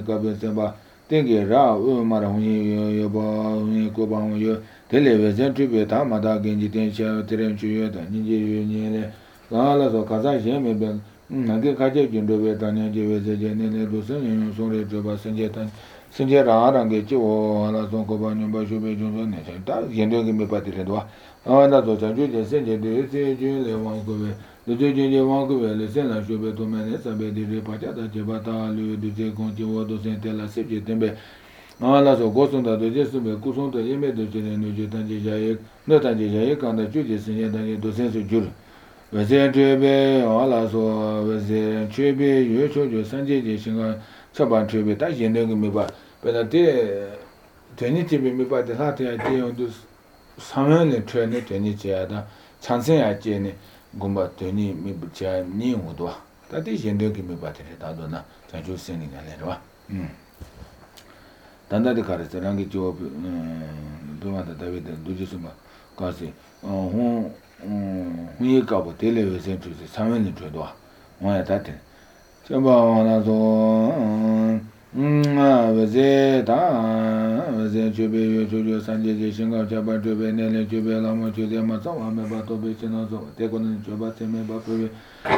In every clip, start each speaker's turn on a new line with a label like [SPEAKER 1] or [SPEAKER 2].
[SPEAKER 1] Kabensemba, Tengi Ra, Marahuni, Yoba, Koba, Television Tribute, Mada Genji Tensha, Terenchu, Niji, Gala, Kazashi, Nagi Kaji, Jindo, Tanya, Jene, Dusan, Sore, Joba, Sanjetan, Sanjera, Rangechi, or Alason Kobani, Bashu, Yendo give me Patridua. Another Sanju, Sanjay, Jule, Wankove. The Jiji Wankove, the Sena, Shube to Menes, Abedi, Pachata, Jebata, Lu, the Conti, Wato, Santella, Sipji, Tembe. Alla so Gosun da Jesume, Kusun, the Yeme, the Jenu, Tanjay, not Tanjay, and the Judges in the sense of Jul. Vezen Trebe, Alla so Vezen Trebe, you show your Sanjay, Shinga, Saban Trebe, Tashi, Negamiba, but a day, Tenity, me by the heart idea on this Samuel train, Tenichada, Chansen at Jenny, Gumba, Tony, Mibucha, Niudwa. That is Yendogi battery, Tadona, Sanju sending a letter. Tanda di Karis, Rangi Job, Dumata David, Dujisuma, Kasi, Hui Cabo, Television, Samuel Tredua, one at that. Chaba, Vezeta, Vezen Chube, Juju Sanjay, Shinga, Jabba, Jube, Nele, Jube, Lama, Jude, Mazawa, Mebato, Bishinozo, Tekon, Jobate, Mebato,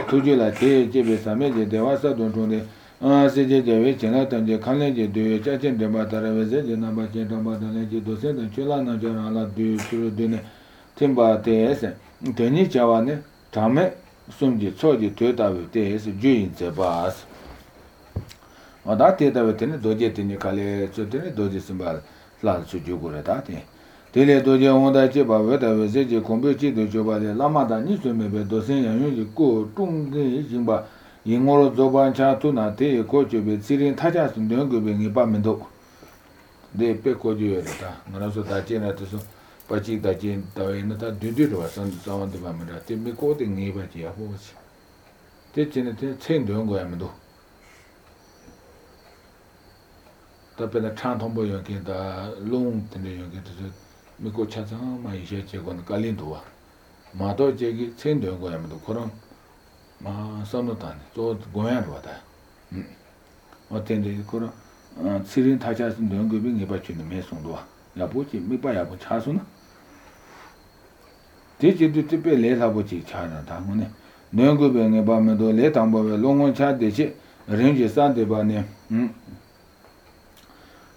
[SPEAKER 1] Tujula, Jebe, Sameje, Devasa, don't CJ China Tanje Kaleji do Chachin de Bataravese, Namba Chetabatanaji Dosen, and Chilana Generala do Dune Timba TS, Teni Chawane, Tame, Sumji, Soji, Tueta with TS, Juin Sebas. Or that theatre with any dojet in the Kale, Sutini Doji Simbal, Flat Sujuguratati. Tele Doja Onda Cheba, Veta Veseji, Compuchi, the Joba, the Lamada, Nisumebe, Dosen, and Yuji Go, Tungi, Jimba. Ingoro Zoban Chatuna, Te, Coach with Syrian Tajas and Dungu in Pamendo. They pay Cojueta, Nanaso Tachina to Pachi Tachin, Tainata, Dudu or some of the Pamela, Tim me quoting Nibatia horse. Teaching it, Chain Dungo Amado. Tapena Chantombo Yankin, the long Tende Yankin, Miko Chatan, my Shech on Kalindua. Mato Jegi, Chain Dungo Amado, Coron. Sonotan, so going what I attended Kura, Syrian Tajas and don't giving about in the Mason door. Yabuchi, me by Abu Chasuna. Did you do to pay late Abuchi China Tamone? No going about Medo late and long on chat de che, arrange Sunday Bane.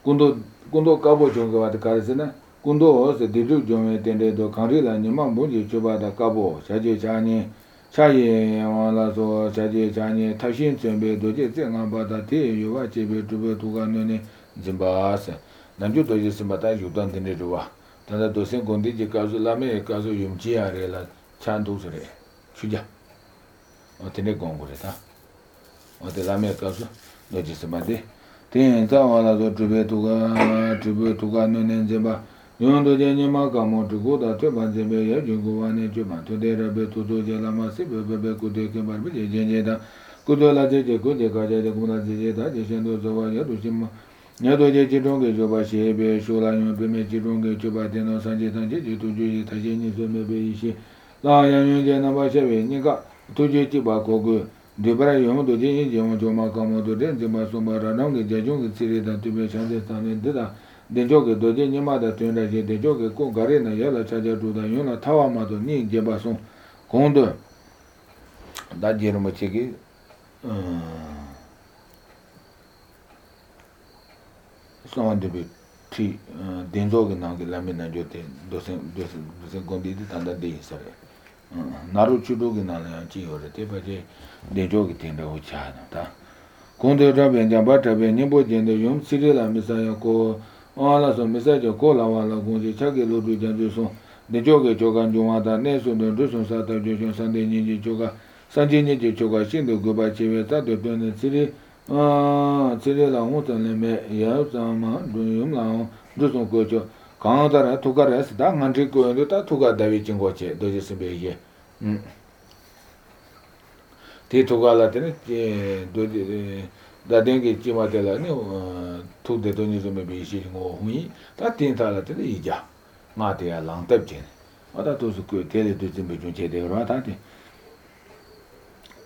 [SPEAKER 1] Gundo Cabo Jongo at the Carazena, Gundo, the Didu Jome attended the Carilla and Yamambuji Chuba the Cabo, Saji Chani. Chaye Walazo, Chaji Chani, Tashin Sembe, Doji, Zangabata, you watch it to Ganone, Zimbas, Nanju Doji Simbata, you don't in the Dua. Tanda Dosen Gondiji Kazulame, Kazu Yumjia, Rela, Chandusre, Shuja, or Tenegongureta, or the Lame Kazu, Doji Simbade. Ten Zawalazo tribute to Ganone Zimba. Yondo Jenima Gamo to go that Banzebe, Juguane Juman, to the Rabe to do Jelamasi, Bebe could take him by Jeneda, Kudola Jeje, Kudeka, Guna Jeda, Jendo Zavaya, Dushima, Yado Jidonga, Jobashi, Shula, Jidonga, Jobatino, Sanjitan, to Juji, Tajini, maybe she, Lion Janabashe, Nika, to Jitibaco, Debra Yondo Jini, Joma Gamo to Denzima Sumara, Jajung, Siri, that to be Shantan and Dida. The joke doji Nimada Tunda, the joke go Garena Yala Chaja to the Yuna Tawamado Ni Jebason Kondo. That Jeromachiki someone to be tea, Denzogan, Lamina Jote, doesn't Gondi and the day, sorry. Naruchudogin Chi or the Tepaje, the joke in the Uchana. Kondo Rabin Jabata, Nibo, and the Yum Cyril and Messiah Ko. All some message of Kola, Gunji, Chagi, Ludu, Janjuson, the Joga, Jogan, Jumata, Neso, the Duson, Sata, Jojon, Sunday, Niji, Joga, Sanji, Niji, Joga, Shindo, Gobachi, Tato, Planet City, Cyrilla, Hutan, Yasama, Duyum, Duson Cocho, Kantara, Tugares, that Mantrico, and the Tuga David Chingoche, does be here. Titugala, da dengue chimatela tu de donizo me bi shi ngo hui ta tin ta la te ja ma te ya lang tab chen ada to su ko tele de jin be jun che de ra ta ti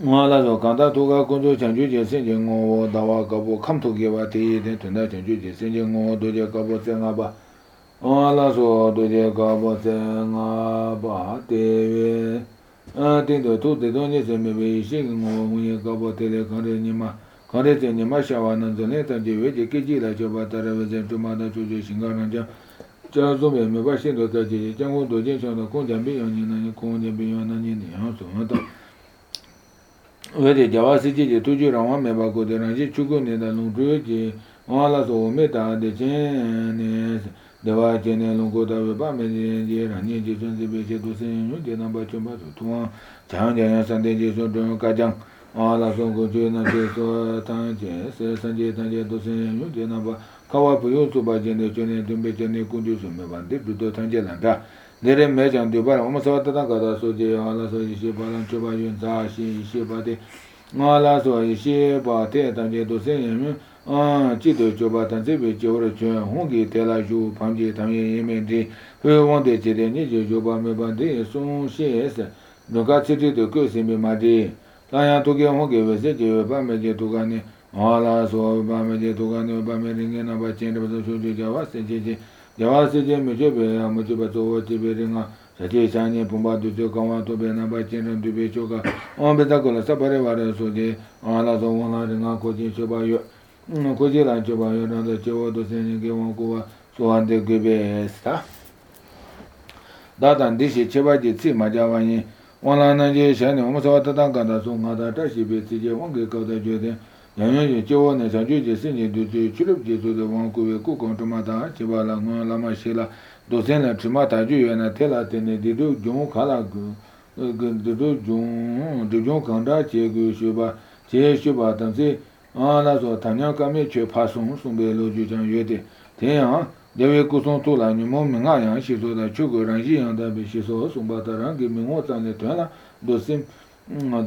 [SPEAKER 1] Ngala kanda toga kunzo chanju je senje ngo dawa kabo kam toge wa te de tunda chanju je senje ngo doje kabo senga ba ngala so doje kabo senga ba te a te do to de donye se me be shi ngo munye kabo te le kare ni ma kare te ni ma sha wa nan zo ne ta je we je ke ji la jo ba ta re we je tu ma da ju je shinga na ja ja zo me me ba shin do ta je jang wo do je sha no kong jan bi yang ni na ni kong jan bi yang na ni ni ha so ma ta wede jawa siji je tuju rawa meba ko de ranji chugo ne da lung tuyo je wala so me ta de chen ne dewa je ne lung ko da we ba me je rani je sun se be je do sen yu de na ba chum ba so tuwa chang jang san de je so do ka jang wala so ko je na je so tan je se san je tan je do sen yu de na ba kawa pu yu so ba je ne je ne dum be je ne ku ju so me ba de du do tan je la da 내래 매장 되바라 엄마서다 가다 소제 알아서 이제 바람 줘봐 윤자 이제 바데 알아서 이제 바데 단계도 생으면 지도 줘봐 단제베 줘로 줘 홍기 대라주 방제 당연 예매디 회원대 제대니 줘봐 매반데 송시에서 누가 지도도 그세미 마디 다야 도게 홍게 왜세 줘 밤에 도가니 알아서 밤에 도가니 밤에 링에나 바친데서 조조자와 세제제 야와세제 메제베 아무제바 조워제베링아 자제 자니 본바도 저 강화도 베나 바친은 두베 조가 엄베다고라 사바레 와레 소제 알아서 원하링아 고지 줘봐요 고지라 줘봐요 나도 저워도 세니게 원고와 소한데 그베스타 다단 디시 제바지 치 마자와니 원하는지 샤니 엄서와다단 간다 송하다 다시 베지제 원게 거다 줘데 양양이 저원에 자주지 신이 주럽지 주도 원고에 고공토마다 지발라 라마실라 도센라 주마다 주연나 텔라테네 디도 종 칼라고 그도 종 간다 제고 쇼바 제쇼바 당시 아나서 단양감에 죄 파송 송배로 주장 예대 대양 대외 구송 도라니 몸명아양 시소다 주거랑 이양다 비시소 송바다랑 기명호장에 되나 도심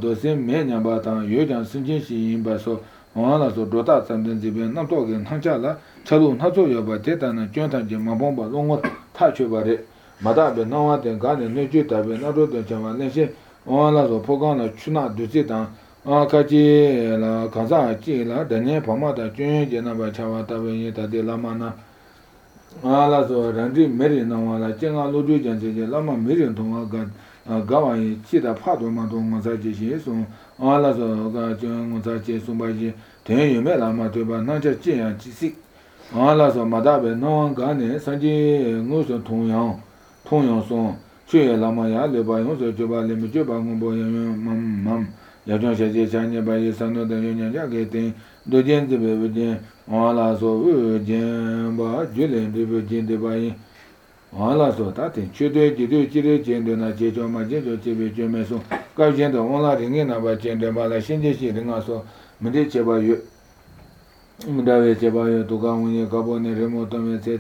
[SPEAKER 1] 도심 매냐바다 요장 신진시 인바서 와라서 도다 잠든 집에 남도게 한자라 차도 나조여 봐 대단한捐단지 마봉바 롱어 타쳐바래 마다베 나와된 가네 뇌주다베 나도된 잠만 내시 와라서 포강의 추나 두지당 같이라 가자지라 대내 범마다捐제나바 차와다베 다데 라마나 와라서 란디 메리 나와라 쟁아 로주전제 라마 메리 동아가 가와이 치다 파도마도 마사지시소 알아서 가정 자체 숨바지 대유메 라마 되바 나자 지야 지식 알아서 마다베 노안가네 산지 무슨 통영송 최 라마야 레바용서 저발레미 저방공보여면 맘 야정세제 자녀바이 산노데 연냐게 도젠즈베베제 알아서 우젠바 줄렌데베젠데바이 알아서 다된 최대 지도 지를 전도나 제조마 제조 제베 제메소 가전도 온라인에나 봐 전도마라 신제시 등아서 문제 제바요 문다베 제바요 도가운이 가보네 레모토메 세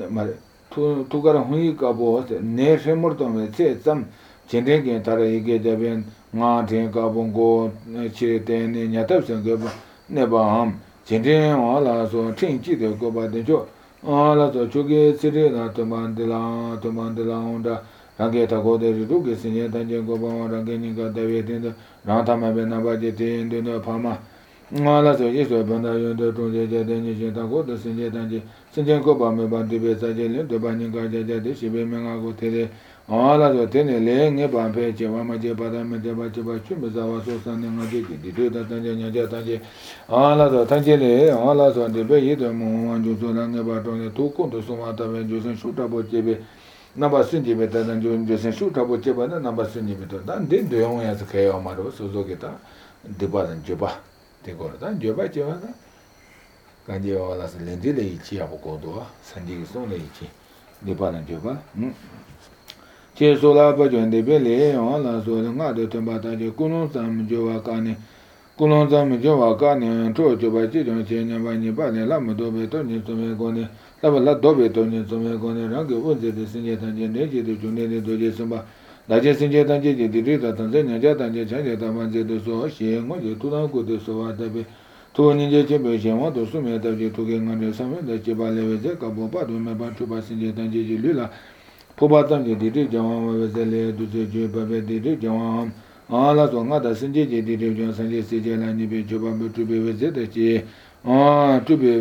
[SPEAKER 1] 말 투가라 홍이 가보 네 세모토메 세점 전대게 따라 이게 되면 나한테 가본고 치레테네 냐답선 거 네바함 전대 알아서 챙기도 거 받죠 알아서 저게 쓰레나 도만들라 온다 라게 타고데르 두게 신예 단전 고바와 라게니가 다베된다 라타마베 나바제 텐데나 파마 알아서 예서 반다요도 동제제데니 제다고 신예 단지 신전 고바메 반디베 사제레 도바니가 제제데 시베명하고 테레 알아서 테네 레게 반페 제와마제 바다메 제바제바 춤자와 소산네 나제 디도다 단제냐제 단제 알아서 단제레 알아서 데베 예도 몽완주소랑게 바도네 도콘도 소마다베 조선 슈타보 제베 나바 신지베 다단 조선 슈타보 제바나 나바 신지베도 난데 도용야서 개요 마로 소소게다 데바단 제바 데고르다 제바 제바나 간디오 알아서 렌디레 이치하고 고도와 산지기 손레 이치 데바단 제바 제소라 버전데 벨레 알아서 나도 템바다제 꾸노삼 조와카네 꾸노삼 조와카네 토조바 지정 제냐바니 바네 라모도베 토니 소메고네 라발라 도베 토니 소메고네 라게 원제데 신제단제 네제데 존네데 도제 섬바 나제 신제단제 디리다 단제 냐자단제 자제다 만제도 소 시행고제 투나고데 소와다베 토니제 제베 제와도 수메다제 토겐가네 사메데 제발레베제 가보바도 메바투바 신제단제 릴라 포바단제 디리 자와마베셀레 두제제 바베 디리 자와 la so nga da sin je je de de jo san je se je la ni be jo ba mu tu be we ze de ji tu be